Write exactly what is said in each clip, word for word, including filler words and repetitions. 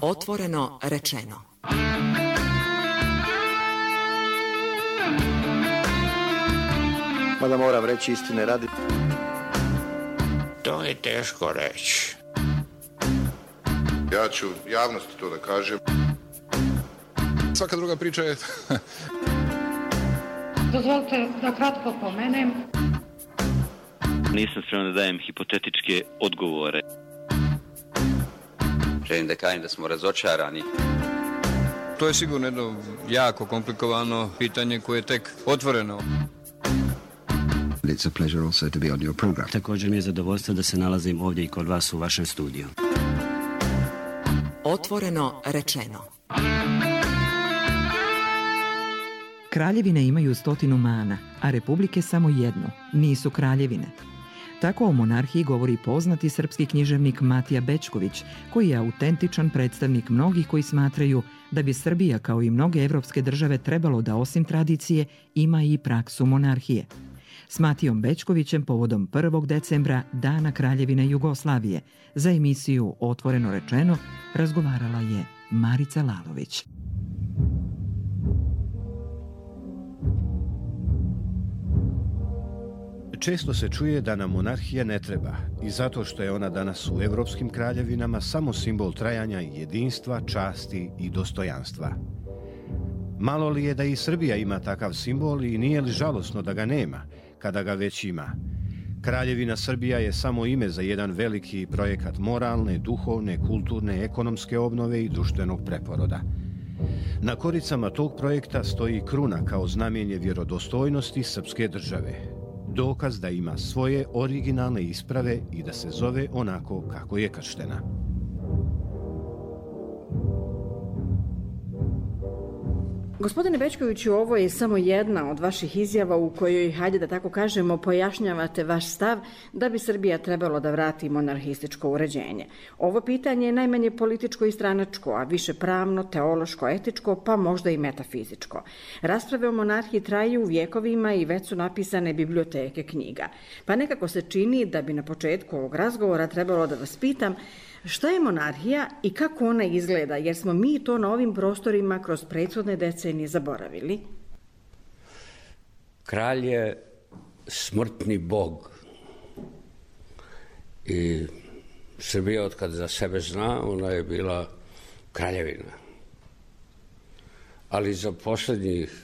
Otvoreno rečeno. Mada moram reći istine radi. To je teško reći. Ja ću javnosti to da kažem. Svaka druga priča je... Dozvolite da kratko pomenem. Nisam spreman da dajem hipotetičke odgovore. Želim da kažem da smo razočarani. To je sigurno jedno jako komplikovano pitanje koje je tek otvoreno. It's a pleasure also to be on your program. Također mi je zadovoljstvo da se nalazim ovdje i kod vas u vašem studiju. Otvoreno rečeno. Kraljevine imaju stotinu mana, a republike samo jednu, nisu kraljevine. Tako o monarhiji govori poznati srpski književnik Matija Bećković, koji je autentičan predstavnik mnogih koji smatraju da bi Srbija, kao i mnoge evropske države, trebalo da osim tradicije ima i praksu monarhije. S Matijom Bećkovićem povodom prvog decembra, Dana Kraljevine Jugoslavije, za emisiju Otvoreno rečeno razgovarala je Marica Lalović. Često se čuje da nam monarhija ne treba i zato što je ona danas u evropskim kraljevinama samo simbol trajanja i jedinstva, časti i dostojanstva. Malo li je da i Srbija ima takav simbol i nije li žalosno da ga nema, kada ga već ima? Kraljevina Srbija je samo ime za jedan veliki projekat moralne, duhovne, kulturne, ekonomske obnove i društvenog preporoda. Na koricama tog projekta stoji kruna kao znamenje vjerodostojnosti srpske države. Dokaz da ima svoje originalne isprave i da se zove onako kako je krštena. Gospodine Bećkoviću, ovo je samo jedna od vaših izjava u kojoj, hajde da tako kažemo, pojašnjavate vaš stav da bi Srbija trebalo da vrati monarhističko uređenje. Ovo pitanje je najmanje političko i stranačko, a više pravno, teološko, etičko, pa možda i metafizičko. Rasprave o monarhiji traju vjekovima i već su napisane biblioteke knjiga. Pa nekako se čini da bi na početku ovog razgovora trebalo da vas pitam šta je monarhija i kako ona izgleda, jer smo mi to na ovim prostorima kroz prethodne decenije zaboravili? Kralj je smrtni bog i Srbija, od kad za sebe zna, ona je bila kraljevina. Ali za posljednjih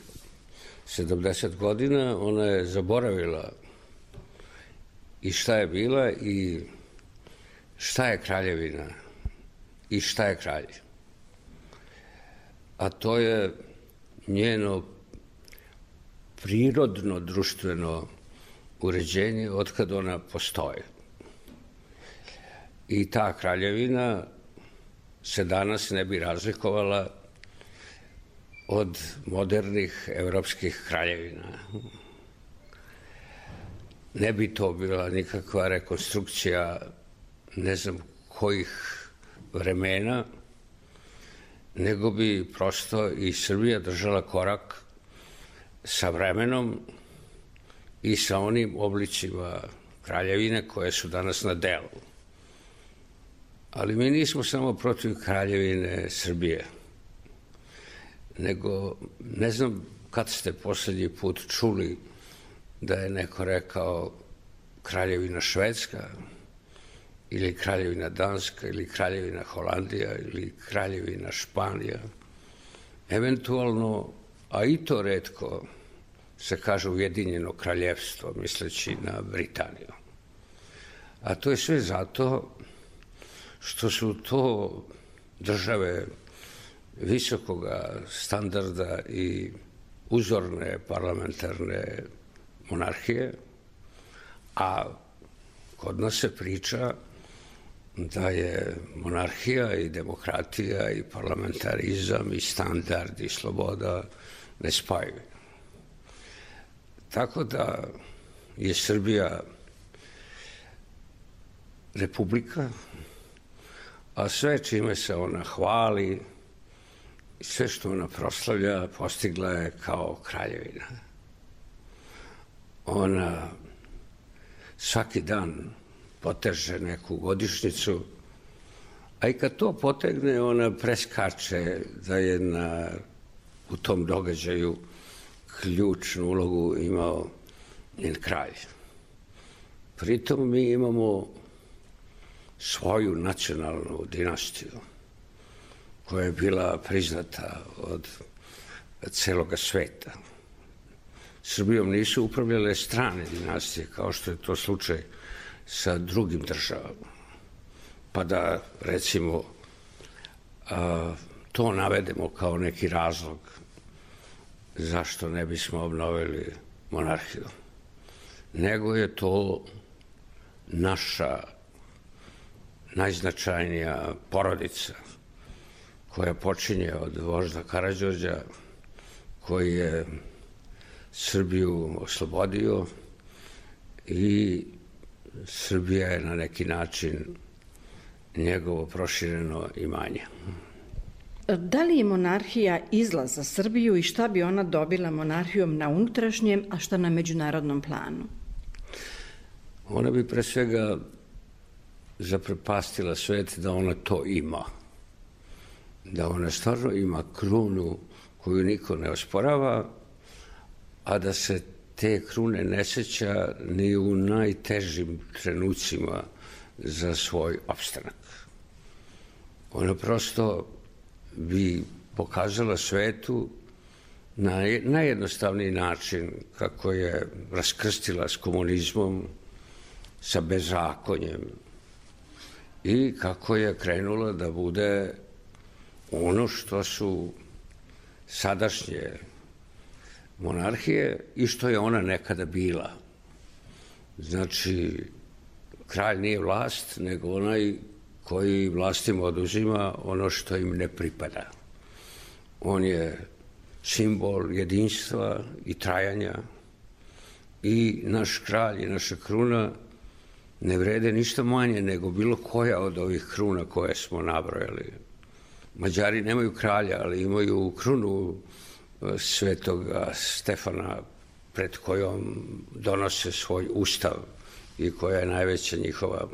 sedamdeset godina ona je zaboravila i šta je bila i šta je kraljevina i šta je kralj. A to je njeno prirodno društveno uređenje od kad ona postoji. I ta kraljevina se danas ne bi razlikovala od modernih evropskih kraljevina. Ne bi to bila nikakva rekonstrukcija ne znam kojih vremena, nego bi prosto i Srbija držala korak sa vremenom i sa onim oblicima kraljevine koje su danas na delu. Ali mi nismo samo protiv kraljevine Srbije, nego ne znam kad ste posljednji put čuli da je neko rekao kraljevina Švedska, ili kraljevina Danska, ili kraljevina Holandija, ili kraljevina Španija. Eventualno, a i to retko, se kaže Ujedinjeno kraljevstvo, misleći na Britaniju. A to je sve zato što su to države visokoga standarda i uzorne parlamentarne monarhije, a kod nas se priča da je monarhija i demokratija i parlamentarizam i standard i sloboda nespojivi. Tako da je Srbija republika, a sve čime se ona hvali, sve što ona proslavlja, postigla je kao kraljevina. Ona svaki dan poteže neku godišnjicu, A i kad to potegne, ona preskače da je na, u tom događaju ključnu ulogu imao njen kralj. Pritom mi imamo svoju nacionalnu dinastiju koja je bila priznata od celoga sveta. Srbijom nisu upravljale strane dinastije, kao što je to slučaj sa drugim državama. Pa da, recimo, to navedemo kao neki razlog zašto ne bismo obnovili monarhiju. Nego je to naša najznačajnija porodica koja počinje od vožda Karađorđa, koji je Srbiju oslobodio i Srbija je na neki način njegovo prošireno imanje. Da li je monarhija izlaz za Srbiju i šta bi ona dobila monarhijom na unutrašnjem, a šta na međunarodnom planu? Ona bi pre svega zaprepastila svet da ona to ima. Da ona stvarno ima krunu koju niko ne osporava, a da se te krune ne seća ni u najtežim trenucima za svoj opstanak. Ona prosto bi pokazala svetu na najjednostavniji način kako je raskrstila s komunizmom, sa bezakonjem i kako je krenula da bude ono što su sadašnje monarhije i što je ona nekada bila. Znači, kralj nije vlast, nego onaj koji vlastima oduzima ono što im ne pripada. On je simbol jedinstva i trajanja i naš kralj i naša kruna ne vrede ništa manje nego bilo koja od ovih kruna koje smo nabrojali. Mađari nemaju kralja, ali imaju krunu svetoga Stefana pred kojom donose svoj ustav i koja je najveća njihova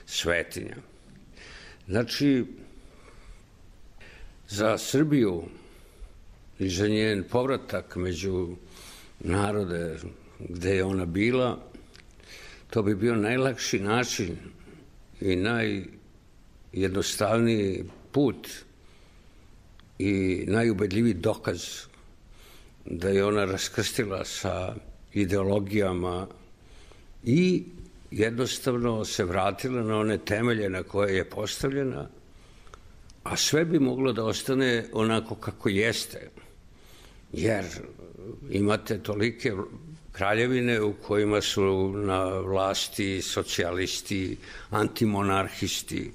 svetinja. Znači, za Srbiju i za njen povratak među narode gde je ona bila, to bi bio najlakši način i najjednostavniji put i najubedljiviji dokaz da je ona raskrstila sa ideologijama i jednostavno se vratila na one temelje na koje je postavljena, a sve bi moglo da ostane onako kako jeste, jer imate tolike kraljevine u kojima su na vlasti socijalisti, antimonarhisti.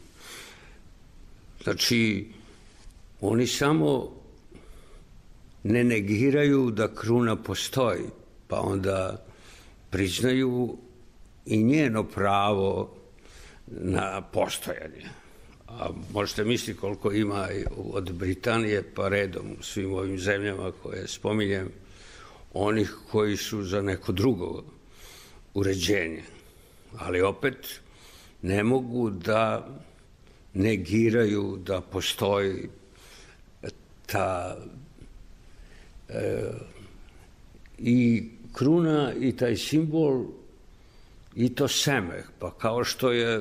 Znači, oni samo ne negiraju da kruna postoji, pa onda priznaju i njeno pravo na postojanje. A možete misliti koliko ima od Britanije pa redom u svim ovim zemljama koje spominjem, onih koji su za neko drugo uređenje. Ali opet ne mogu da negiraju da postoji ta e, i kruna i taj simbol i to seme. Pa kao što je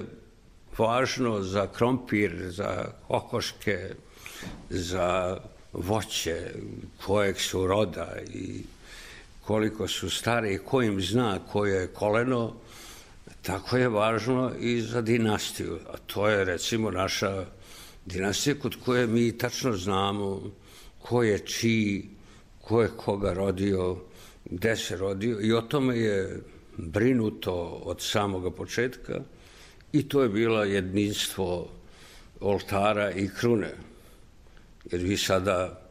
važno za krompir, za kokoške, za voće, kojeg su roda i koliko su stari i ko im zna koje je koleno, tako je važno i za dinastiju. A to je recimo naša dinastija kod koje mi tačno znamo ko je čiji, ko je koga rodio, gde se rodio i o tome je brinuto od samoga početka i to je bilo jedinstvo oltara i krune. Jer vi sada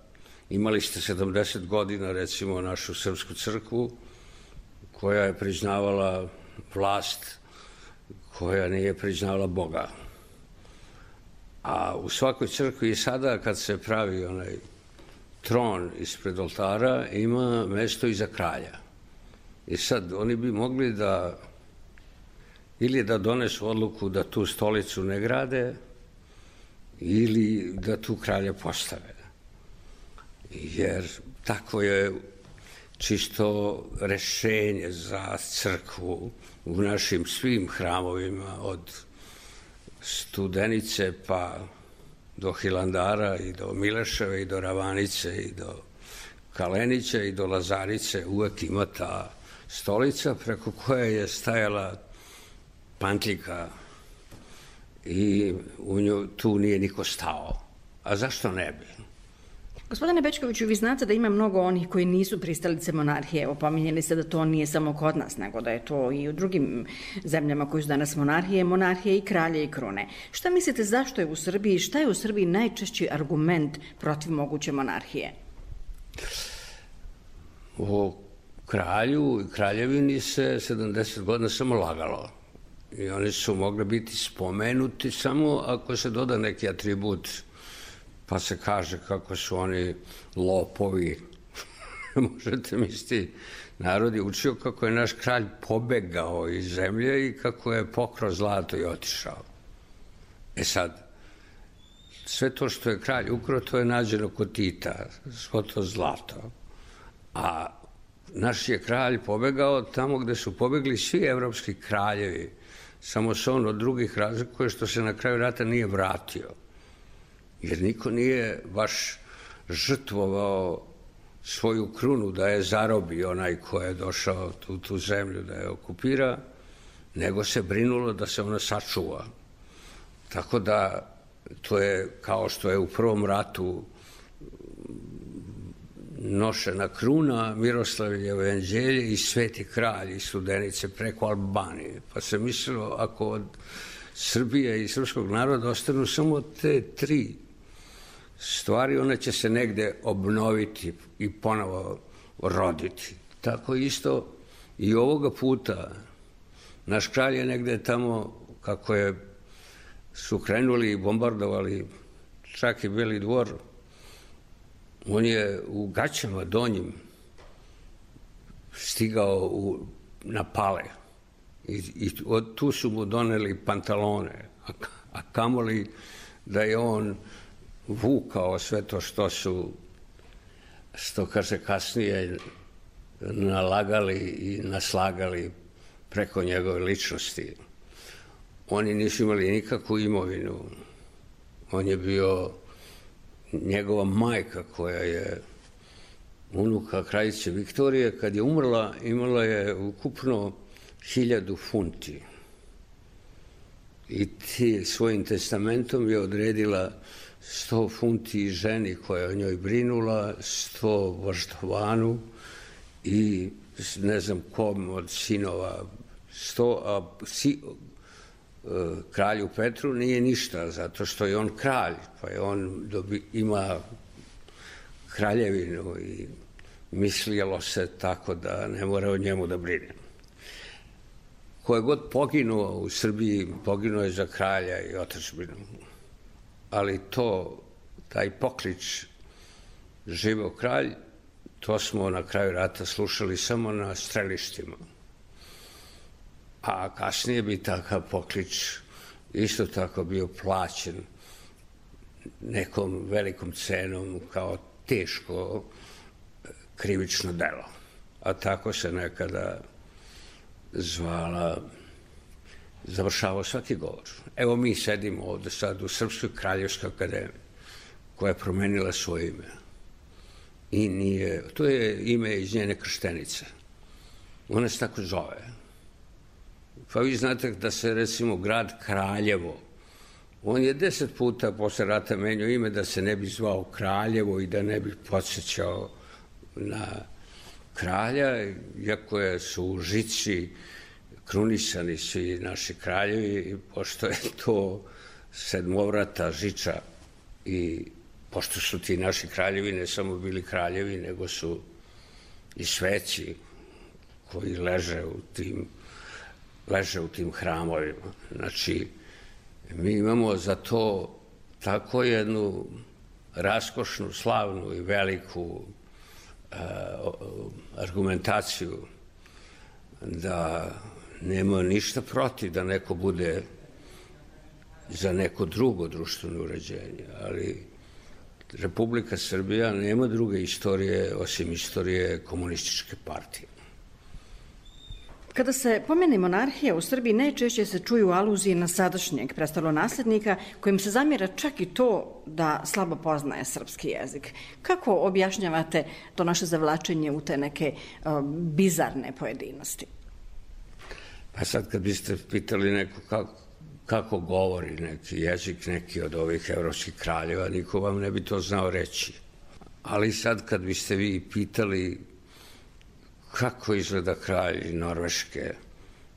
imali ste sedamdeset godina, recimo, našu srpsku crkvu koja je priznavala vlast, koja nije priznavala Boga. A u svakoj crkvi i sada kad se pravi onaj tron ispred oltara ima mesto i za kralja. I sad oni bi mogli da ili da donesu odluku da tu stolicu ne grade ili da tu kralja postave. Jer tako je čisto rešenje za crkvu u našim svim hramovima, od Studenice pa do Hilandara i do Mileševe i do Ravanice i do Kalenića i do Lazarice uvek ima ta stolica preko koje je stajala pantljika i u nju tu nije niko stao. A zašto ne bi? Gospodine Bečkoviću, vi znate da ima mnogo onih koji nisu pristalice monarhije. Evo, pominjali ste da to nije samo kod nas, nego da je to i u drugim zemljama koji su danas monarhije, monarhije i kralje i krune. Šta mislite, zašto je u Srbiji, šta je u Srbiji najčešći argument protiv moguće monarhije? O kralju i kraljevini se sedamdeset godina samo lagalo. I oni su mogli biti spomenuti samo ako se doda neki atribut, pa se kaže kako su oni lopovi. Možete misliti, narod je učio kako je naš kralj pobegao iz zemlje i kako je pokrao zlato i otišao. E sad, sve to što je kralj ukrao, to je nađeno kod Tita, svo to zlato. A naš je kralj pobegao tamo gde su pobegli svi evropski kraljevi, samo se on od drugih razlikuje što se na kraju rata nije vratio. Jer niko nije baš žrtvovao svoju krunu da je zarobi onaj ko je došao u tu zemlju da je okupira, nego se brinulo da se ona sačuva. Tako da to je kao što je u prvom ratu nošena kruna, Miroslavljevo jevanđelje i Sveti kralj iz Studenice preko Albanije. Pa se mislilo, ako od Srbije i srpskog naroda ostanu samo te tri stvari, one će se negde obnoviti i ponovo roditi. Tako isto i ovoga puta. Naš kralj je negde tamo, kako je su krenuli i bombardovali čak i Beli dvor, on je u gaćama donjim stigao u, na Pale i, i od, tu su mu doneli pantalone, a, a kamoli da je on vukao sve to što su, što kaže kasnije, nalagali i naslagali preko njegove ličnosti. Oni nisu imali nikakvu imovinu. On je bio njegova majka koja je unuka kraljice Viktorije. Kad je umrla, imala je ukupno hiljadu funti. I ti svojim testamentom je odredila sto funti ženi koja je o njoj brinula, sto Vaštovanu i ne znam kom od sinova, sto, a si, kralju Petru nije ništa, zato što je on kralj, pa je on dobi, ima kraljevinu i mislilo se tako da ne mora o njemu da brine. Ko je god poginuo u Srbiji, poginuo je za kralja i otadžbinu. Ali to, taj poklič živeo kralj, to smo na kraju rata slušali samo na strelištima. A kasnije bi takav poklič isto tako bio plaćen nekom velikom cenom kao teško krivično delo. A tako se nekada zvala, završavao svaki govor. Evo mi sedimo ovde sad u Srpskoj kraljevskoj akademiji, koja je promenila svoje ime. I nije, to je ime iz njene krštenice. Ona se tako zove. Pa vi znate da se, recimo, grad Kraljevo, on je deset puta posle rata menjao ime da se ne bi zvao Kraljevo i da ne bi podsjećao na kralja, iako je su u Žici krunisani svi naši kraljevi, pošto je to sedmovrata Žiča i pošto su ti naši kraljevi ne samo bili kraljevi, nego su i sveci koji leže u tim leže u tim hramovima. Znači, mi imamo za to tako jednu raskošnu, slavnu i veliku uh, argumentaciju da nema ništa protiv da neko bude za neko drugo društveno uređenje, ali Republika Srbija nema druge istorije osim istorije komunističke partije. Kada se pomene monarhija u Srbiji, najčešće se čuju aluzije na sadašnjeg prestolonaslednika, kojim se zamjera čak i to da slabo poznaje srpski jezik. Kako objašnjavate to naše zavlačenje u te neke uh, bizarne pojedinosti? Pa sad kad biste pitali neko kako, kako govori neki jezik, neki od ovih evropskih kraljeva, niko vam ne bi to znao reći. Ali sad kad biste vi pitali kako izgleda kralj Norveške,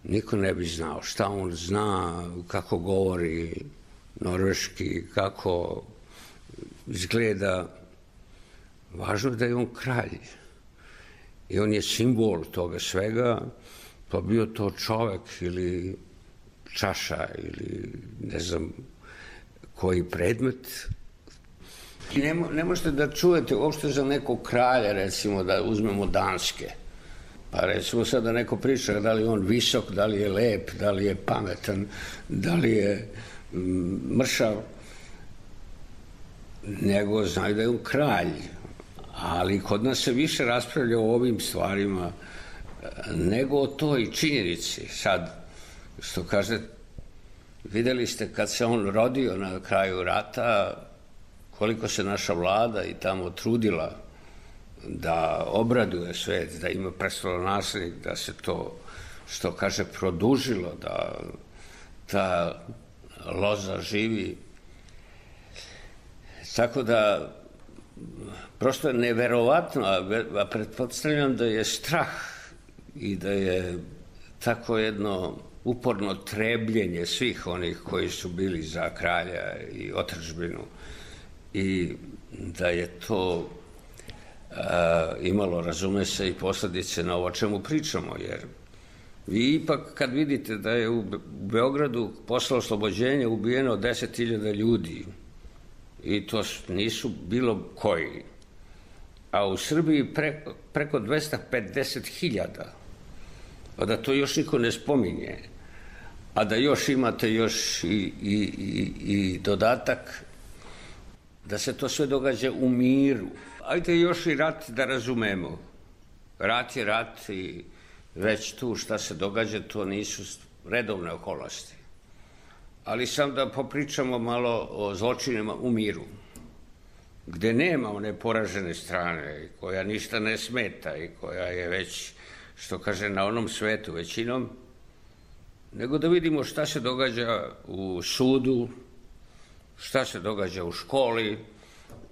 niko ne bi znao šta on zna, kako govori norveški, kako izgleda. Važno je da je on kralj i on je simbol toga svega, pa bio to čovek ili čaša ili ne znam koji predmet. Ne, ne možete da čujete uopšte za nekog kralja, recimo da uzmemo Danske. Pa recimo sad da neko priča da li je on visok, da li je lep, da li je pametan, da li je mršav, nego znaju da je on kralj. Ali kod nas se više raspravlja o ovim stvarima nego o toj činjenici. Sad, što kaže, videli ste kad se on rodio na kraju rata, koliko se naša vlada i tamo trudila da obraduje svet, da ima prestolonaslednik, da se to, što kaže, produžilo, da ta loza živi. Tako da, prosto je neverovatno, a pretpostavljam da je strah i da je tako jedno uporno trebljenje svih onih koji su bili za kralja i otadžbinu i da je to a, imalo, razume se, i posledice na ovo čemu pričamo, jer vi ipak kad vidite da je u Beogradu posle oslobođenja ubijeno deset hiljada ljudi i to nisu bilo koji, a u Srbiji pre, preko dvesta pedeset hiljada, a da to još niko ne spominje, a da još imate još i, i, i, i dodatak da se to sve događa u miru. Ajde još i rat da razumemo. Rat je rat i već tu šta se događa, to nisu redovne okolnosti. Ali sam da popričamo malo o zločinima u miru, gde nema one poražene strane, koja ništa ne smeta i koja je već, što kaže, na onom svetu većinom, nego da vidimo šta se događa u sudu, šta se događa u školi,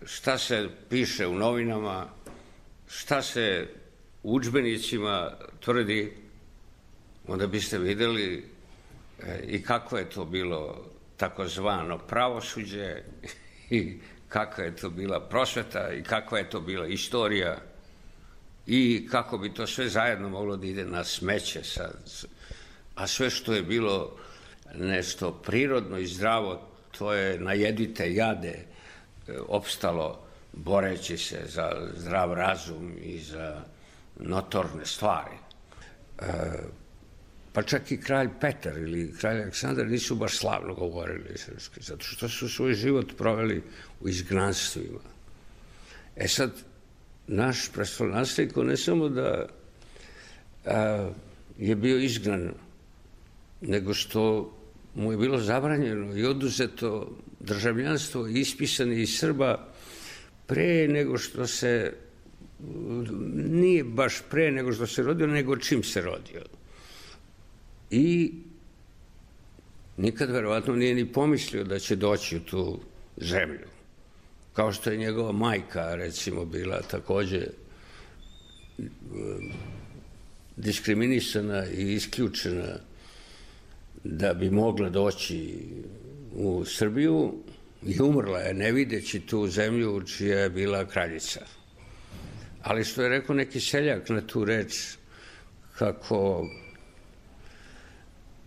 šta se piše u novinama, šta se u udžbenicima tvrdi, onda biste videli i kako je to bilo takozvano pravosuđe i kakva je to bila prosveta i kakva je to bila istorija i kako bi to sve zajedno moglo da ide na smeće sad. A sve što je bilo nešto prirodno i zdravo, to je najedite jade opstalo boreći se za zdrav razum i za notorne stvari. E, pa čak i kralj Petar ili kralj Aleksandar nisu baš slavno govorili srpski, zato što su svoj život proveli u izgnanstvima. E sad, naš prestolonaslednik ne samo da a, je bio izgnan, nego što mu je bilo zabranjeno i oduzeto državljanstvo ispisani iz Srba pre nego što se, nije baš pre nego što se rodio, nego čim se rodio. I nikad verovatno nije ni pomislio da će doći u tu zemlju. Kao što je njegova majka, recimo, bila takođe diskriminisana i isključena da bi mogla doći u Srbiju i umrla je ne videći tu zemlju čija je bila kraljica. Ali što je rekao neki seljak na tu reč, kako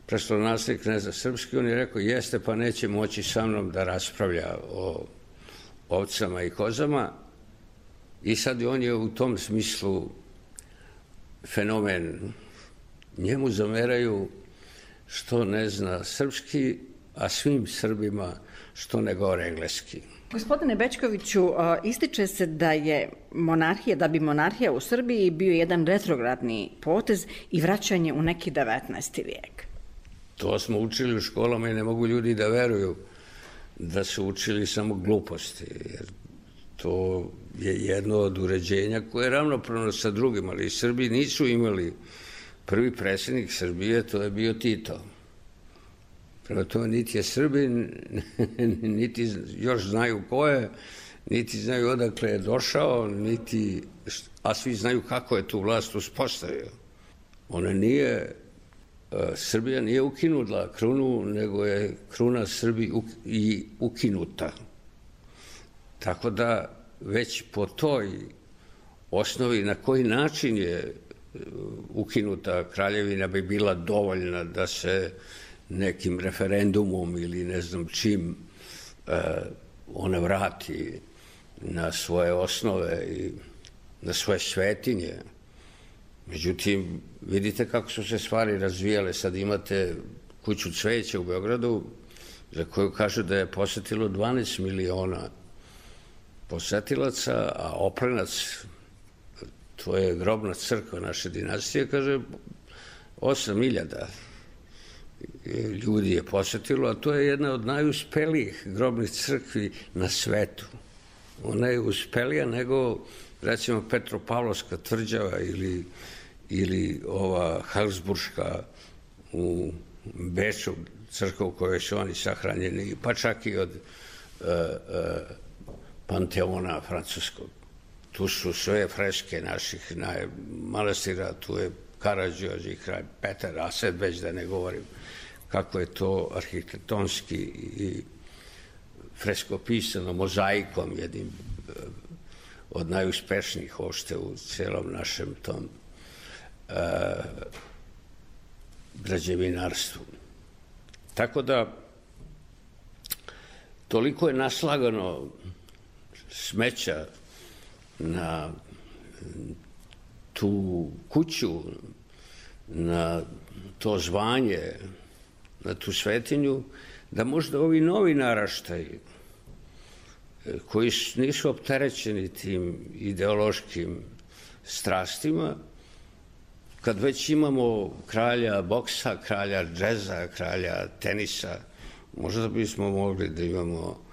prestolonaslednik ne zna srpski, on je rekao jeste, pa neće moći sa mnom da raspravlja o ovcama i kozama, i sad on je u tom smislu fenomen. Njemu zameraju što ne zna srpski a svim Srbima što ne govore engleski. Gospodine Bećkoviću, ističe se da je monarhija, da bi monarhija u Srbiji bio jedan retrogradni potez i vraćanje u neki devetnaesti vijek. To smo učili u školama i ne mogu ljudi da veruju da su učili samo gluposti, jer to je jedno od uređenja koje je ravnopravno sa drugim, ali Srbi nisu imali prvi predsjednik Srbije, to je bio Tito. Prema tome, niti je Srbin, niti još znaju ko je, niti znaju odakle je došao, niti, a svi znaju kako je tu vlast uspostavio. Ona nije, Srbija nije ukinula krunu, nego je kruna Srbiji i ukinuta. Tako da već po toj osnovi na koji način je ukinuta kraljevina bi bila dovoljna da se nekim referendumom ili ne znam čim ona vrati na svoje osnove i na svoje svetinje. Međutim, vidite kako su se stvari razvijale. Sad imate kuću cveća u Beogradu za koju kažu da je posetilo dvanaest miliona posetilaca, a Oplenac, to je grobna crkva naše dinastije, kaže osam hiljada ljudi je posetilo, a to je jedna od najuspelijih grobnih crkvi na svetu. Ona je uspelija nego, recimo, Petropavlovska tvrđava ili, ili ova Habsburška u Beču, crkva u kojoj su oni sahranjeni, pa čak i od uh, uh, Panteona francuskog. Tu su sve freske naših manastira, tu je Karađorđe, kralj Petar, a sad već da ne govorim kako je to arhitektonski i freskopisano mozaikom, jednim od najuspešnijih uopšte u celom našem tom uh, građevinarstvu. Tako da toliko je naslagano smeća na tu kuću, na to zvanje, na tu svetinju, da možda ovi novi naraštaji koji nisu opterećeni tim ideološkim strastima, kad već imamo kralja boksa, kralja džeza, kralja tenisa, možda bismo mogli da imamo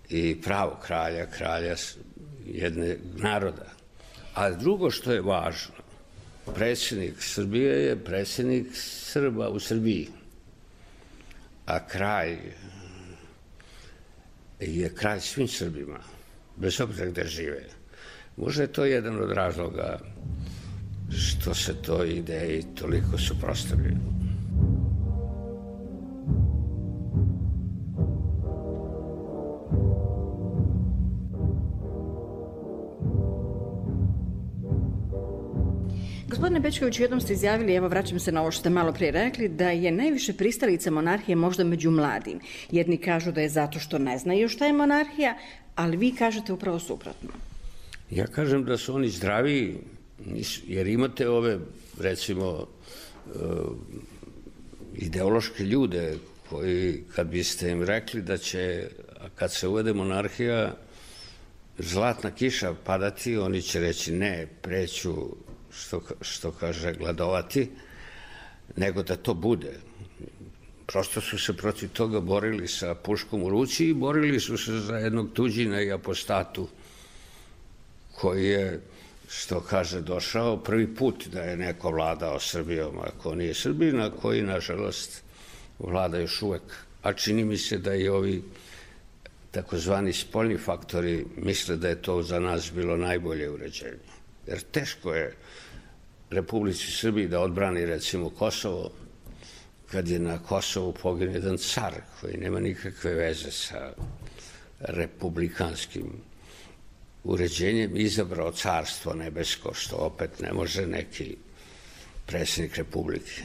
i pravo kralja, kralja jedne naroda. A drugo što je važno, predsjednik Srbije je predsjednik Srba u Srbiji, a kralj je kralj svim Srbima, bez obzira gde žive. Možda je to jedan od razloga što se to ideji toliko suprotstavljaju. Gospodine Bećkoviću, jednom ste izjavili, evo vraćam se na ovo što ste malo prije rekli, da je najviše pristalica monarhije možda među mladim. Jedni kažu da je zato što ne znaju šta je monarhija, ali vi kažete upravo suprotno. Ja kažem da su oni zdraviji, jer imate ove, recimo, ideološke ljude koji, kad biste im rekli da će, kad se uvede monarhija, zlatna kiša padati, oni će reći ne, preću, što, što kaže, gladovati, nego da to bude. Prosto su se protiv toga borili sa puškom u ruci i borili su se za jednog tuđina i apostatu koji je, što kaže, došao prvi put da je neko vladao Srbijom, ako nije Srbin, a koji, nažalost, vlada još uvek. A čini mi se da i ovi takozvani spoljni faktori misle da je to za nas bilo najbolje uređenje. Jer teško je Republici Srbiji da odbrani, recimo, Kosovo, kad je na Kosovu poginuo jedan car koji nema nikakve veze sa republikanskim uređenjem, izabrao carstvo nebesko, što opet ne može neki predsjednik Republike.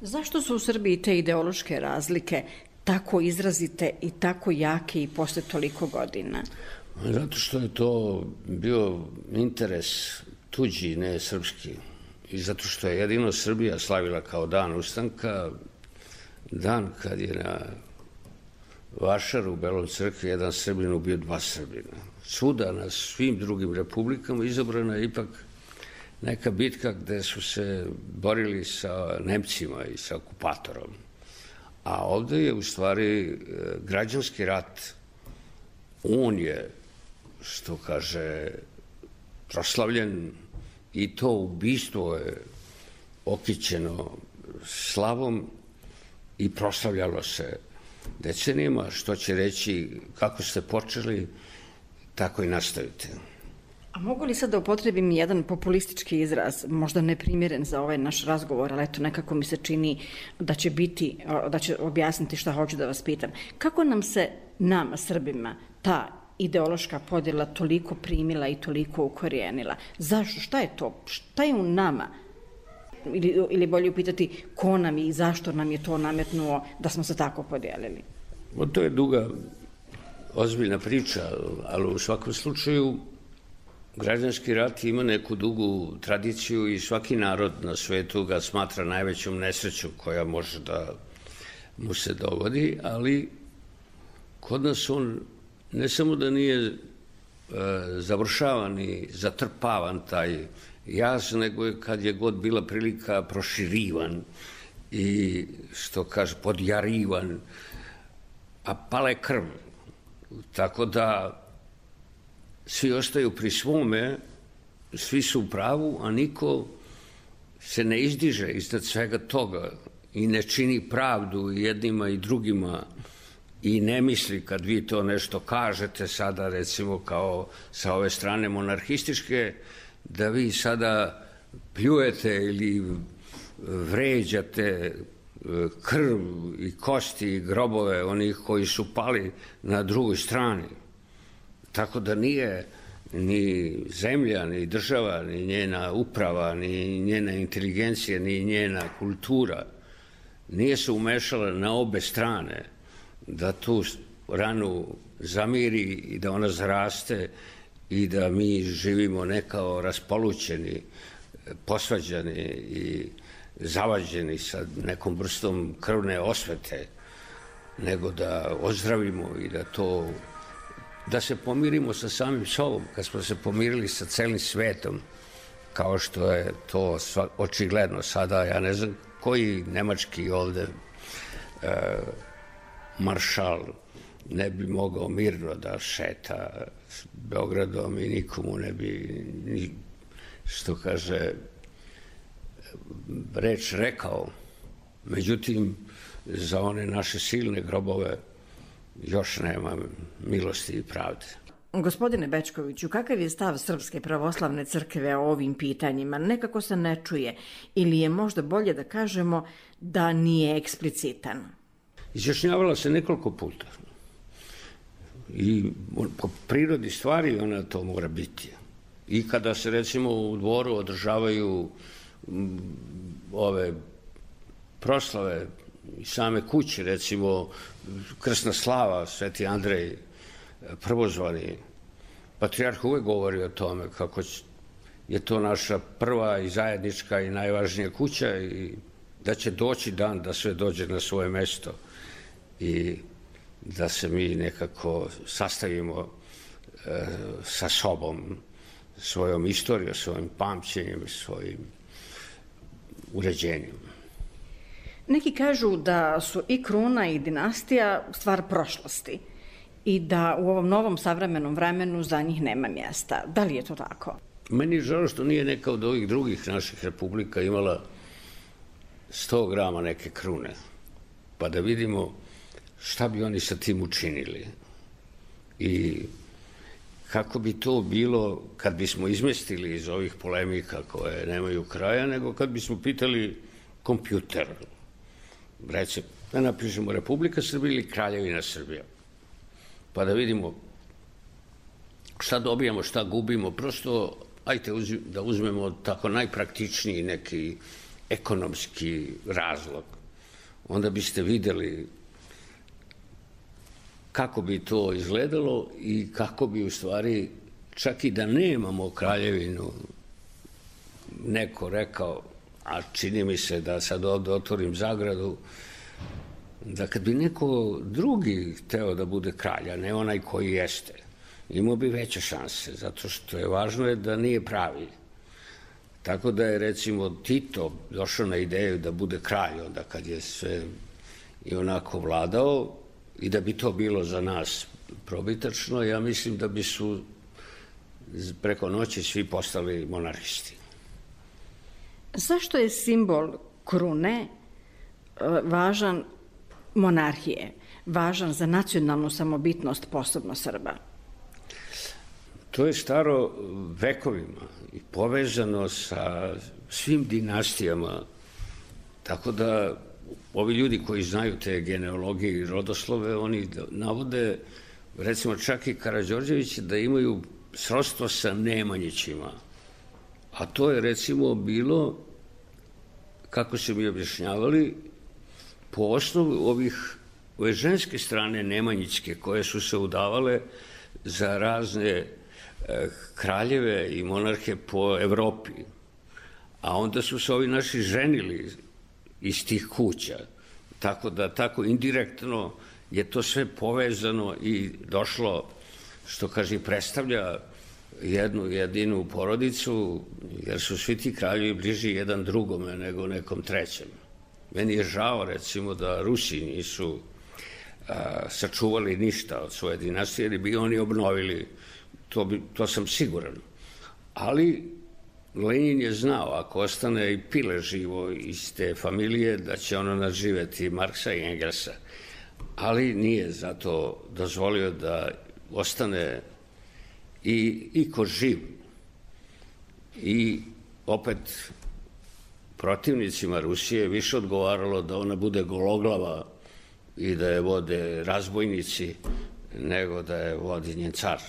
Zašto su u Srbiji te ideološke razlike tako izrazite i tako jake i posle toliko godina? Zato što je to bio interes tuđi, ne srpski. I zato što je jedino Srbija slavila kao dan ustanka, dan kad je na vašaru u Belom crkvi jedan Srbin ubio dva Srbina. Svuda na svim drugim republikama izabrana je ipak neka bitka gde su se borili sa Nemcima i sa okupatorom. A ovde je u stvari građanski rat. On je, što kaže, proslavljen i to ubistvo je okićeno slavom i proslavljalo se decenijama, što će reći kako ste počeli, tako i nastavite. A mogu li sad da upotrebim jedan populistički izraz, možda neprimjeren za ovaj naš razgovor, ali eto nekako mi se čini da će biti, da će objasniti šta hoću da vas pitam. Kako nam se, nama, Srbima, ta ideološka podjela toliko primila i toliko ukorijenila? Zašto? Šta je to? Šta je u nama? Ili, ili bolje upitati ko nam i zašto nam je to nametnuo da smo se tako podijelili? O, to je duga, ozbiljna priča, ali u svakom slučaju građanski rat ima neku dugu tradiciju i svaki narod na svetu ga smatra najvećom nesrećom koja može da mu se dogodi, ali kod nas on ne samo da nije e, završavan i zatrpavan taj jaz, nego je kad je god bila prilika proširivan i, što kaže, podjarivan, a pala je krv. Tako da svi ostaju pri svome, svi su u pravu, a niko se ne izdiže iznad svega toga i ne čini pravdu jednima i drugima i ne misli kad vi to nešto kažete sada, recimo kao sa ove strane monarhističke, da vi sada pljujete ili vređate krv i kosti i grobove onih koji su pali na drugoj strani. Tako da nije ni zemlja, ni država, ni njena uprava, ni njena inteligencija, ni njena kultura nije se umešala na obe strane da tu ranu zamiri i da ona zaraste i da mi živimo ne kao raspolućeni, posvađani i zavađeni sa nekom vrstom krvne osvete, nego da ozdravimo i da to, da se pomirimo sa samim sobom, kad smo se pomirili sa celim svetom, kao što je to očigledno sada. Ja ne znam koji nemački ovde e, maršal ne bi mogao mirno da šeta s Beogradom i nikomu ne bi, ni, što kaže, reč rekao. Međutim, za one naše silne grobove još nema milosti i pravde. Gospodine Bečkoviću, kakav je stav Srpske pravoslavne crkve o ovim pitanjima? Nekako se ne čuje, ili je možda bolje da kažemo da nije eksplicitan? Izjašnjavala se nekoliko puta. I po prirodi stvari ona to mora biti. I kada se, recimo, u Dvoru održavaju ove proslave i same kuće, recimo krsna slava, Sveti Andrej Prvozvani, patrijarh uvek govori o tome kako je to naša prva i zajednička i najvažnija kuća i da će doći dan da sve dođe na svoje mesto i da se mi nekako sastavimo e, sa sobom, svojom istorijom, svojim pamćenjem, svojim uređenjem. Neki kažu da su i kruna i dinastija stvar prošlosti i da u ovom novom savremenom vremenu za njih nema mjesta. Da li je to tako? Meni je žao što nije neka od ovih drugih naših republika imala sto grama neke krune, pa da vidimo šta bi oni sa tim učinili i kako bi to bilo kad bismo izmestili iz ovih polemika koje nemaju kraja, nego kad bismo pitali kompjuter, recimo, da napišemo Republika Srbija ili Kraljevina Srbija, pa da vidimo šta dobijamo, šta gubimo. Prosto, ajte da uzmemo tako najpraktičniji neki ekonomski razlog. Onda biste videli kako bi to izgledalo i kako bi u stvari, čak i da nemamo kraljevinu, neko rekao, a čini mi se da sad ovde otvorim zagradu, da kad bi neko drugi hteo da bude kralj, a ne onaj koji jeste, imao bi veće šanse, zato što je važno je da nije pravi. Tako da je, recimo, Tito došao na ideju da bude kralj, onda kad je sve i onako vladao, i da bi to bilo za nas probitačno, ja mislim da bi su preko noći svi postali monarhisti. Zašto je simbol krune važan monarhije, važan za nacionalnu samobitnost, posebno Srba? To je staro vekovima i povezano sa svim dinastijama, tako da ovi ljudi koji znaju te genealogije i rodoslove, oni navode, recimo čak i Karađorđević, da imaju srodstvo sa Nemanjićima. A to je, recimo, bilo, kako su mi objašnjavali, po osnovu ovih, ove ženske strane Nemanjićke, koje su se udavale za razne e, kraljeve i monarhe po Evropi. A onda su se ovi naši ženili iz tih kuća. Tako da, tako indirektno je to sve povezano i došlo, što kaže, predstavlja jednu jedinu porodicu, jer su svi ti kraljevi bliži jedan drugome nego nekom trećem. Meni je žao, recimo, da Rusi nisu a, sačuvali ništa od svoje dinastije, jer bi oni obnovili, to, bi, to sam siguran. Ali Lenin je znao, ako ostane i Pile živo iz te familije, da će ono nadživeti Marksa i Engelsa. Ali nije zato dozvolio da ostane i, i ko živ. I opet protivnicima Rusije više odgovaralo da ona bude gologlava i da je vode razbojnici nego da je vodi njen car.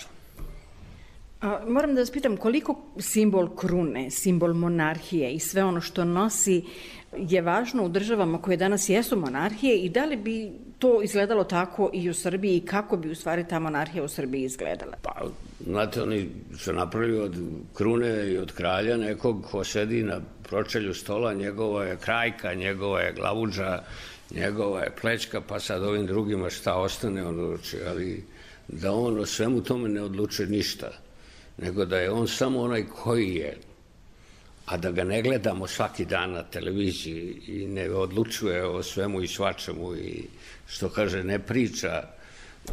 A, moram da vas pitam, koliko simbol krune, simbol monarhije i sve ono što nosi je važno u državama koje danas jesu monarhije i da li bi to izgledalo tako i u Srbiji i kako bi u stvari ta monarhija u Srbiji izgledala? Pa, znate, oni su napravili od krune i od kralja nekog ko sedi na pročelju stola, njegova je krajka, njegova je glavuđa, njegova je plećka, pa sad ovim drugima šta ostane on odluči, ali da on o svemu tome ne odlučuje ništa, nego da je on samo onaj koji je, a da ga ne gledamo svaki dan na televiziji i ne odlučuje o svemu i svačemu i, što kaže, ne priča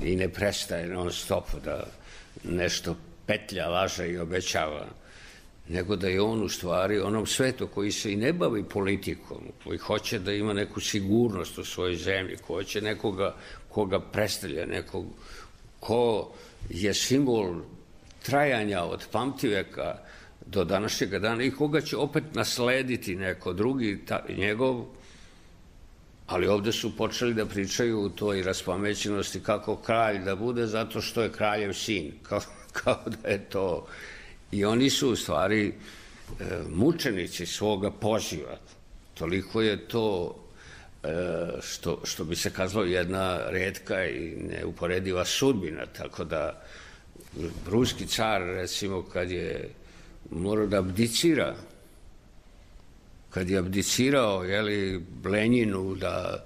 i ne prestaje non stop da nešto petlja, laže i obećava, nego da je on u stvari onom svetu koji se i ne bavi politikom, koji hoće da ima neku sigurnost u svojoj zemlji, ko hoće nekoga koga predstavlja, nekog ko je simbol trajanja od pamtiveka do današnjeg dana i koga će opet naslediti neko drugi, ta, njegov, ali ovde su počeli da pričaju u toj raspamećenosti kako kralj da bude zato što je kraljev sin, kao, kao da je to. I oni su u stvari e, mučenici svoga poziva. Toliko je to, e, što, što bi se kazalo, jedna retka i neuporediva sudbina, tako da ruski car, recimo, kad je morao da abdicira, kad je abdicirao, jeli, Lenjinu da,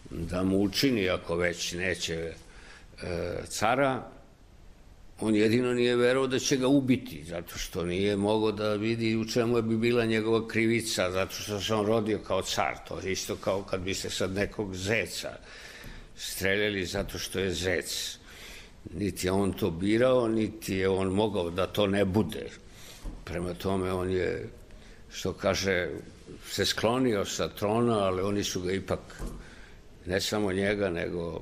da mu učini, ako već neće e, cara, on jedino nije verovao da će ga ubiti, zato što nije mogao da vidi u čemu bi bila njegova krivica, zato što se on rodio kao car. To je isto kao kad biste sad nekog zeca streljali zato što je zec. Niti je on to birao, niti je on mogao da to ne bude. Prema tome, on je, što kaže, se sklonio sa trona, ali oni su ga ipak, ne samo njega, nego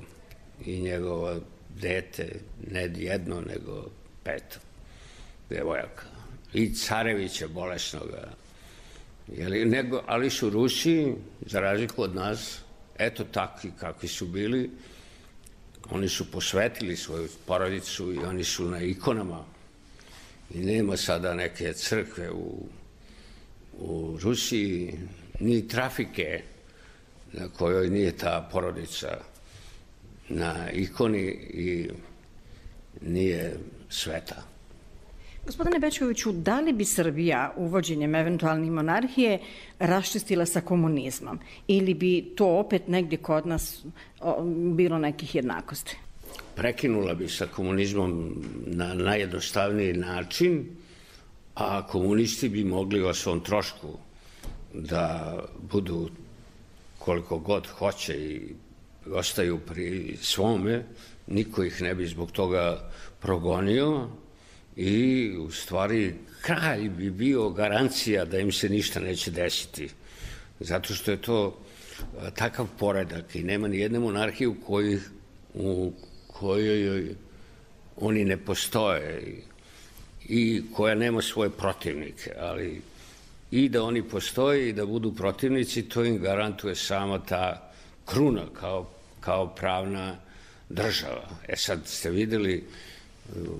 i njegova dete, ne jedno, nego pet devojaka. I carevića bolesnoga. Jeli, nego, ali su Rusi, za razliku od nas, eto takvi kakvi su bili, oni su posvetili svoju porodicu i oni su na ikonama. I nema sada neke crkve u, u Rusiji, ni trafike na kojoj nije ta porodica na ikoni i nije sveta. Gospodine Bećkoviću, da li bi Srbija uvođenjem eventualne monarhije raščistila sa komunizmom ili bi to opet negdje kod nas bilo nekih jednakosti? Prekinula bi sa komunizmom na najjednostavniji način, a komunisti bi mogli o svom trošku da budu koliko god hoće i ostaju pri svome, niko ih ne bi zbog toga progonio i u stvari kralj bi bio garancija da im se ništa neće desiti. Zato što je to takav poredak i nema ni jedne monarhije u kojoj, u kojoj oni ne postoje i koja nema svoje protivnike, ali i da oni postoje i da budu protivnici, to im garantuje sama ta kruna kao, kao pravna država. E sad ste videli,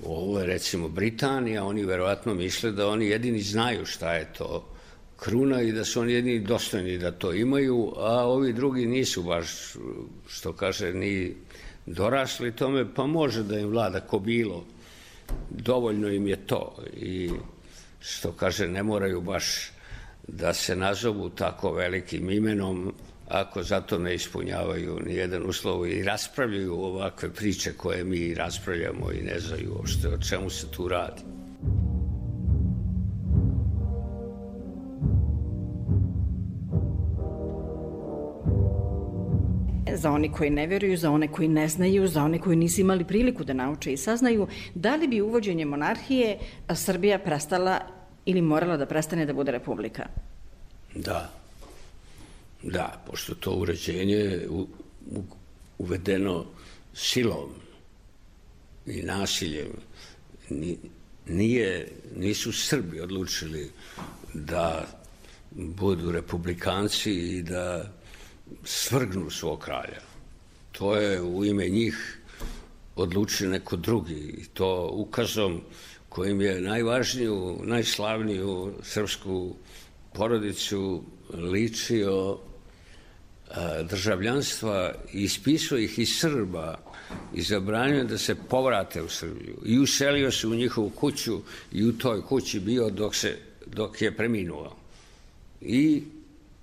ovo je recimo Britanija, oni verovatno misle da oni jedini znaju šta je to kruna i da su oni jedini dostojni da to imaju, a ovi drugi nisu baš, što kaže, ni dorasli tome, pa može da im vlada ko bilo. Dovoljno im je to i što kaže, ne moraju baš da se nazovu tako velikim imenom ako zato ne ispunjavaju ni jedan uslov i raspravljaju ovakve priče koje mi raspravljamo i ne znaju uopšte o čemu se tu radi. Za one koji ne vjeruju, za one koji ne znaju, za one koji nisu imali priliku da nauče i saznaju, da li bi uvođenje monarhije Srbija prestala ili morala da prestane da bude republika? Da. Da, pošto to uređenje je uvedeno silom i nasiljem. Nije, nisu Srbi odlučili da budu republikanci i da svrgnu svog kralja. To je u ime njih odlučio neko drugi i to ukazom kojim je najvažniju, najslavniju srpsku porodicu ličio državljanstva i ispisao ih iz Srba i zabranio da se povrate u Srbiju i uselio se u njihovu kuću i u toj kući bio dok, se, dok je preminuo. I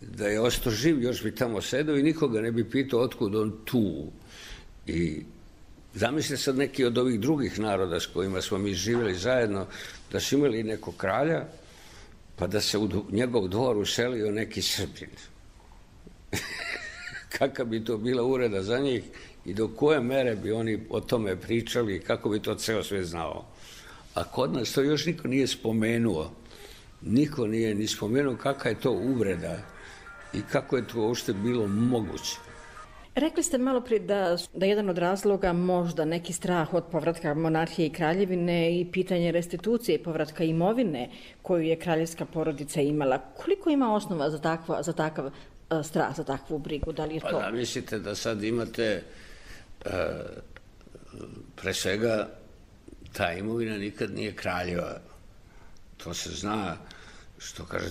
da je ostao živ, još bi tamo sedao i nikoga ne bi pitao otkud on tu. I zamislite sad neki od ovih drugih naroda s kojima smo mi živjeli zajedno, da su imali nekog kralja, pa da se u njegov dvor uselio neki Srbin. Kakva bi to bila ureda za njih i do koje mere bi oni o tome pričali i kako bi to ceo sve znao. A kod nas to još niko nije spomenuo. Niko nije ni spomenuo kakva je to uvreda i kako je to uopšte bilo moguće. Rekli ste malo prije da, da jedan od razloga možda neki strah od povratka monarhije i kraljevine i pitanje restitucije i povratka imovine koju je kraljevska porodica imala. Koliko ima osnova za, takva, za takav uh, strah, za takvu brigu? Da li je to? Pa da, mislite da sad imate uh, pre svega ta imovina nikad nije kraljeva. To se zna, što kaže,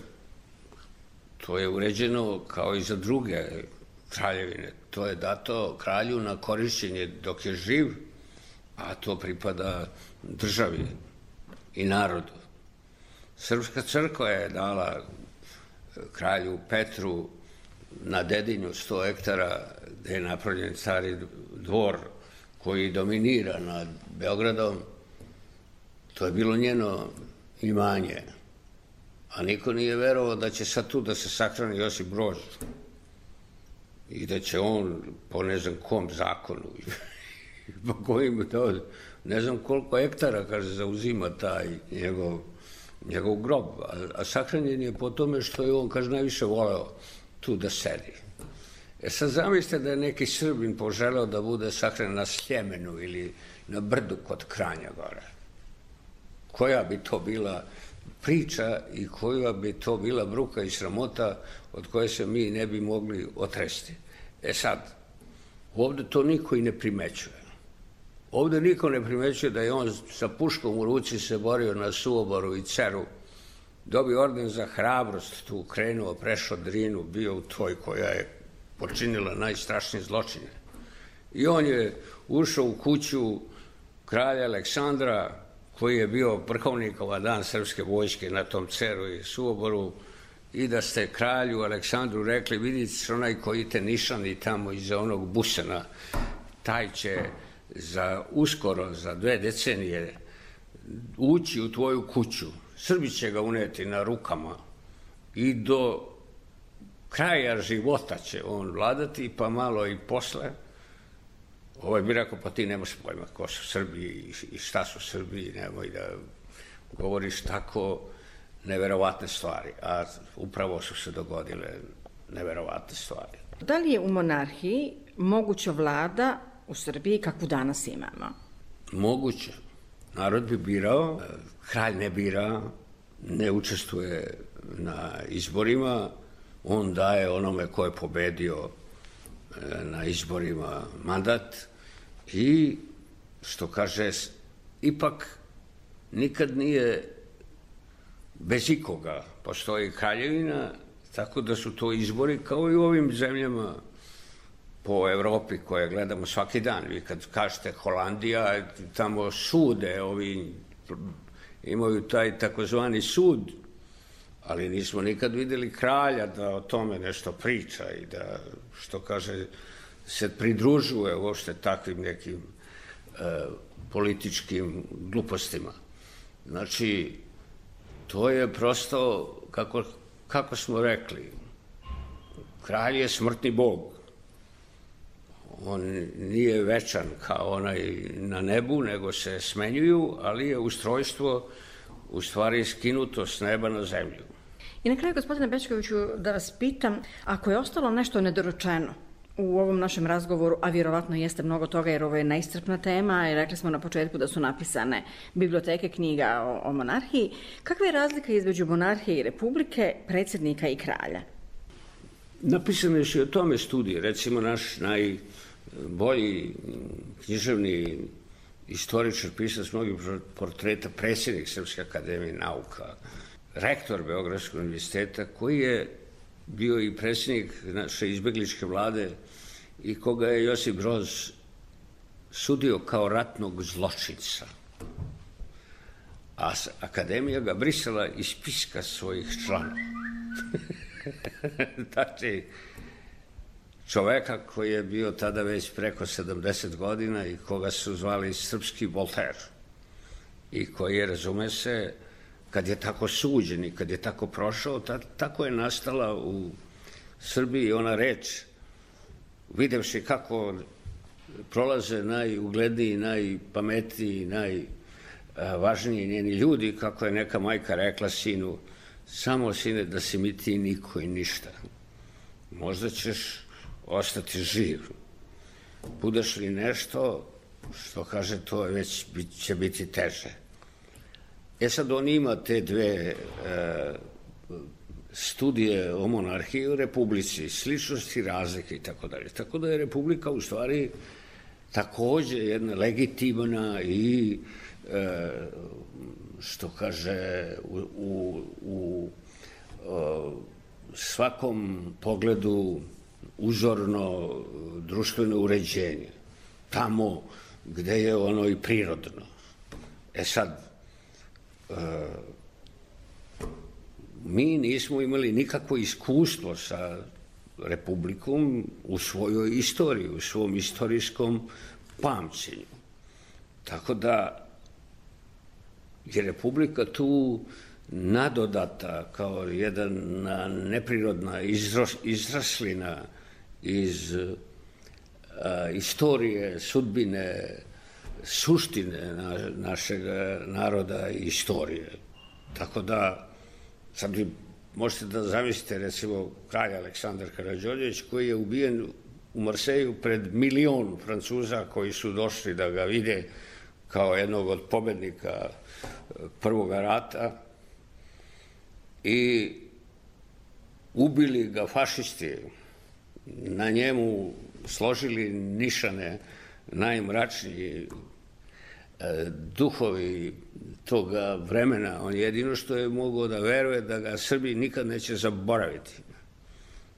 to je uređeno kao i za druge kraljevine. To je dato kralju na korišćenje dok je živ, a to pripada državi i narodu. Srpska crkva je dala kralju Petru na Dedinju sto hektara gde je napravljen stari dvor koji dominira nad Beogradom. To je bilo njeno imanje. A niko nije verovao da će sad tu da se sahrani Josip Broz i da će on po ne znam kom zakonu po kojim to, ne znam koliko hektara, kaže, zauzima taj njegov, njegov grob, a, a sahranjen je po tome što je on, kaže, najviše voleo tu da sedi. E sad zamislite da je neki Srbin poželeo da bude sahranjen na Sljemenu ili na brdu kod Kranja gore. Koja bi to bila priča i koja bi to bila bruka i sramota od koje se mi ne bi mogli otresti. E sad, ovde to niko i ne primećuje. Ovde niko ne primećuje da je on sa puškom u ruci se borio na Suoboru i Ceru, dobio orden za hrabrost, tu krenuo, prešao Drinu, bio u toj koja je počinila najstrašnije zločine. I on je ušao u kuću kralja Aleksandra, koji je bio vrhovnikova dan srpske vojske na tom Ceru i Suvoboru, i da ste kralju Aleksandru rekli, vidite onaj koji te nišani tamo iza onog busana, taj će za uskoro, za dve decenije ući u tvoju kuću, Srbi će ga uneti na rukama i do kraja života će on vladati, pa malo i posle. Ovaj bi rekao, pa ti nemaš pojma ko su Srbi i šta su Srbi, nemoj da govoriš tako neverovatne stvari, a upravo su se dogodile neverovatne stvari. Da li je u monarhiji moguća vlada u Srbiji kakvu danas imamo? Moguće. Narod bi birao, kralj ne bira, ne učestvuje na izborima, on daje onome ko je pobedio na izborima mandat i, što kaže, ipak nikad nije bez ikoga. Postoji kraljevina, tako da su to izbori kao i u ovim zemljama po Evropi koje gledamo svaki dan. Vi kad kažete Holandija, tamo sude, ovi imaju taj takozvani sud, ali nismo nikad videli kralja da o tome nešto priča i da, što kaže, se pridružuje uopšte takvim nekim e, političkim glupostima. Znači, to je prosto, kako, kako smo rekli, kralj je smrtni bog. On nije večan kao onaj na nebu, nego se smenjuju, ali je ustrojstvo u stvari skinuto s neba na zemlju. I na kraju, gospodine Bećkoviću, da vas pitam, ako je ostalo nešto nedorečeno u ovom našem razgovoru, a vjerovatno jeste mnogo toga jer ovo je neiscrpna tema i rekli smo na početku da su napisane biblioteke knjiga o, o monarhiji, kakva je razlika između monarhije i republike, predsjednika i kralja? Napisane su i o tome studije. Recimo, naš najbolji književni istoričar, pisac mnogih portreta, predsjednik Srpske akademije nauka, rektor Beogradskog univerziteta, koji je bio i predsjednik naše izbegličke vlade i koga je Josip Broz sudio kao ratnog zločinca. A akademija ga brisala iz spiska svojih članova. Znači, čoveka koji je bio tada već preko sedamdeset godina i koga su zvali srpski Voltaire i koji je, razume se, kad je tako suđen i kad je tako prošao, ta, tako je nastala u Srbiji ona reč, videvši kako prolaze najugledniji, najpametniji, najvažniji njeni ljudi, kako je neka majka rekla sinu, samo sine da si mi ti niko i ništa. Možda ćeš ostati živ. Budeš li nešto, što kaže, to već će biti teže. E sad, on ima te dve e, studije o monarhiji u republici, sličnosti, razlike i tako dalje. Tako da je republika u stvari takođe jedna legitimna i, e, što kaže, u, u, u o, svakom pogledu uzorno društveno uređenje. Tamo gde je ono i prirodno. E sad, mi nismo imali nikakvo iskustvo sa republikom u svojoj istoriji, u svom istorijskom pamćenju. Tako da je republika tu nadodata kao jedna neprirodna izraslina iz a, istorije, sudbine, suštine na, našeg naroda i istorije. Tako da, sad vi možete da zamislite, recimo, kralj Aleksandar Karađorđević, koji je ubijen u Marseju pred milion Francuza koji su došli da ga vide kao jednog od pobednika Prvog rata i ubili ga fašisti, na njemu složili nišane najmračniji duhovi toga vremena. On jedino što je mogao da veruje da ga Srbi nikad neće zaboraviti,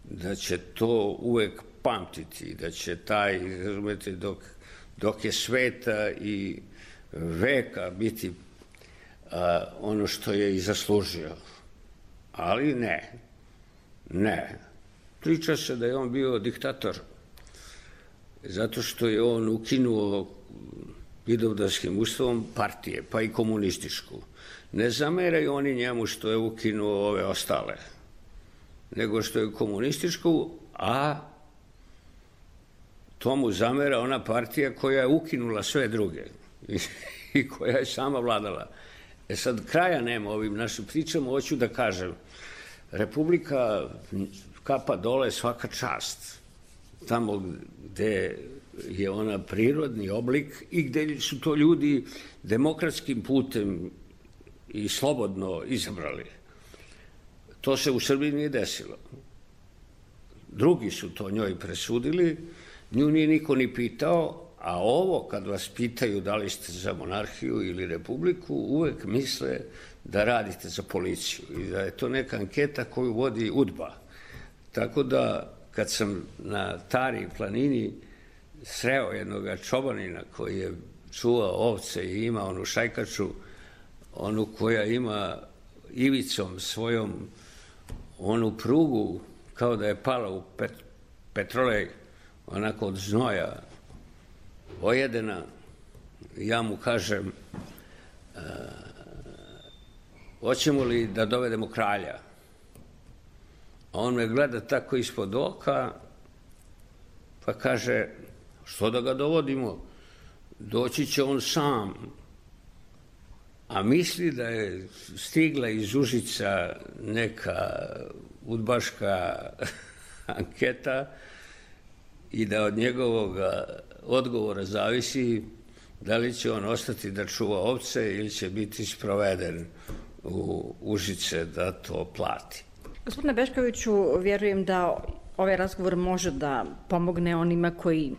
da će to uvek pamtiti, da će taj, razumete, dok, dok je sveta i veka biti a, ono što je i zaslužio. Ali ne, ne. Priča se da je on bio diktator, zato što je on ukinuo Vidovdanskim ustavom partije, pa i komunističku. Ne zameraju oni njemu što je ukinuo ove ostale, nego što je komunističku, a tomu zamera ona partija koja je ukinula sve druge i koja je sama vladala. E sad, kraja nema ovim našim pričama, hoću da kažem, Republika kapa dole svaka čast, tamo gde je ona prirodni oblik i gde su to ljudi demokratskim putem i slobodno izabrali. To se u Srbiji nije desilo. Drugi su to njoj presudili, nju nije niko ni pitao, a ovo kad vas pitaju da li ste za monarhiju ili republiku, uvek misle da radite za policiju i da je to neka anketa koju vodi UDBA. Tako da kad sam na Tari planini sreo jednog čobanina koji je čuvao ovce i ima onu šajkaču, onu koja ima ivicom svojom onu prugu kao da je pala u pet, petrolej, onako od znoja ojedena, ja mu kažem, uh, hoćemo li da dovedemo kralja? A on me gleda tako ispod oka, pa kaže, što da ga dovodimo? Doći će on sam. A misli da je stigla iz Užica neka udbaška anketa i da od njegovog odgovora zavisi da li će on ostati da čuva ovce ili će biti sproveden u Užice da to plati. Gospodine Bečkoviću, vjerujem da ovaj razgovor može da pomogne onima koji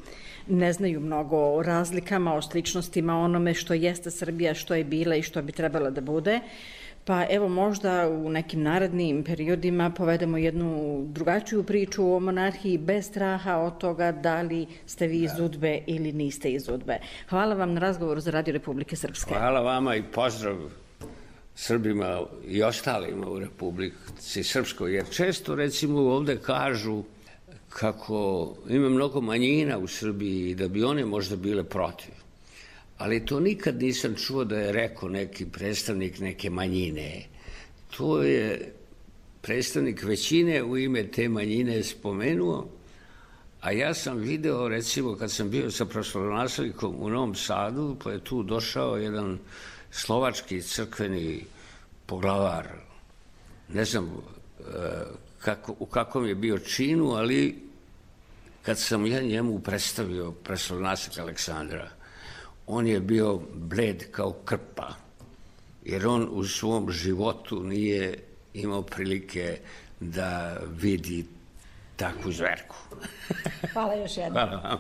ne znaju mnogo o razlikama, o sličnostima, onome što jeste Srbija, što je bila i što bi trebala da bude. Pa evo možda u nekim narednim periodima povedemo jednu drugačiju priču o monarhiji bez straha od toga da li ste vi iz UDBE ili niste iz UDBE. Hvala vam na razgovoru za Radio Republike Srpske. Hvala vama i pozdrav Srbima i ostalima u Republici Srpskoj, jer često recimo ovde kažu kako ima mnogo manjina u Srbiji i da bi one možda bile protiv. Ali to nikad nisam čuo da je rekao neki predstavnik neke manjine. To je predstavnik većine u ime te manjine spomenuo, a ja sam video, recimo, kad sam bio sa proslavonaslednikom u Novom Sadu, pa je tu došao jedan slovački crkveni poglavar, ne znam kako, u kakvom je bio činu, ali kad sam ja njemu predstavio proslavonaslednika Aleksandra, on je bio bled kao krpa, jer on u svom životu nije imao prilike da vidi takvu zverku. Hvala još jednom. Hvala vama.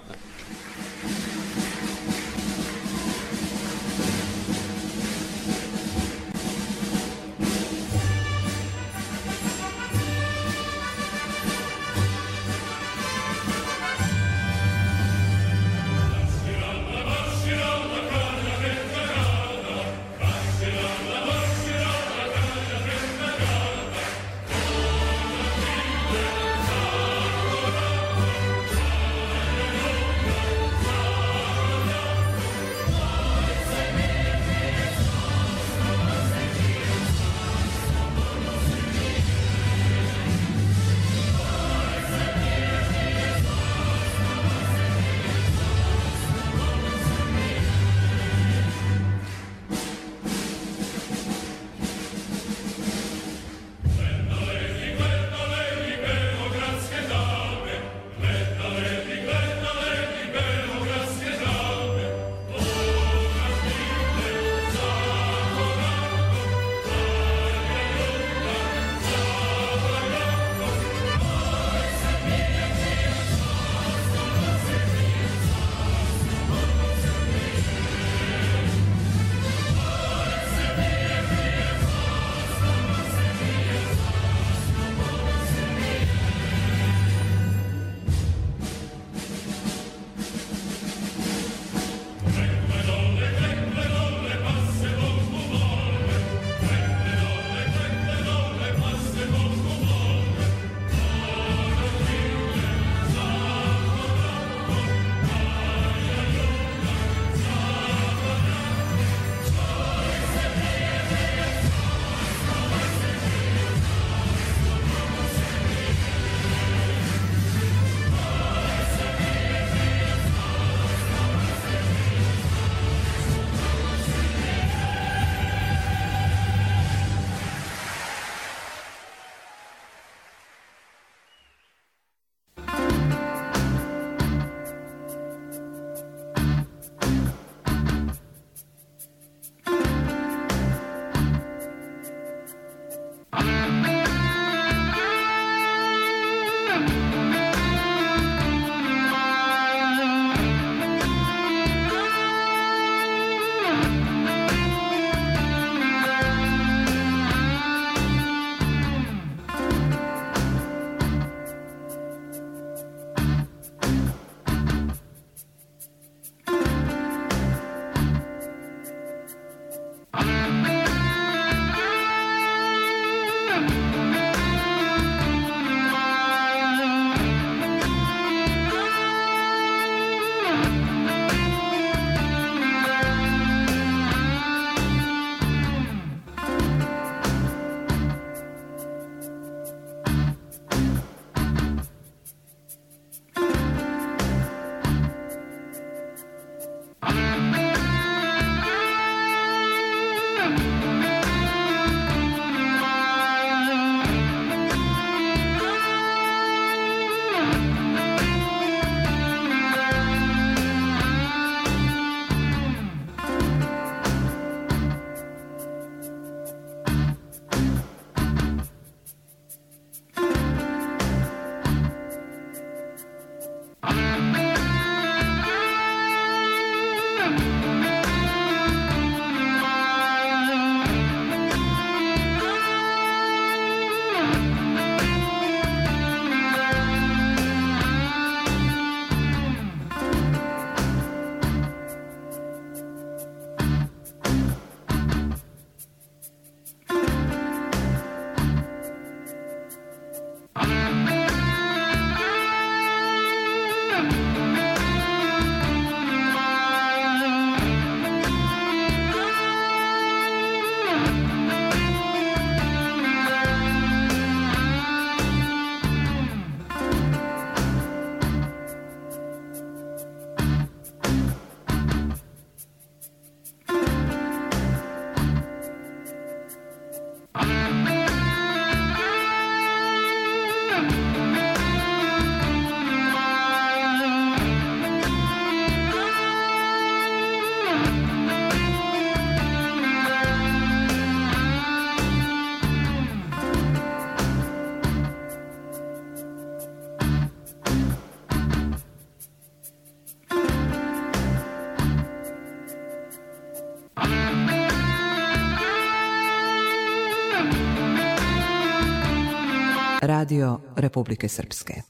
Radio Republike Srpske.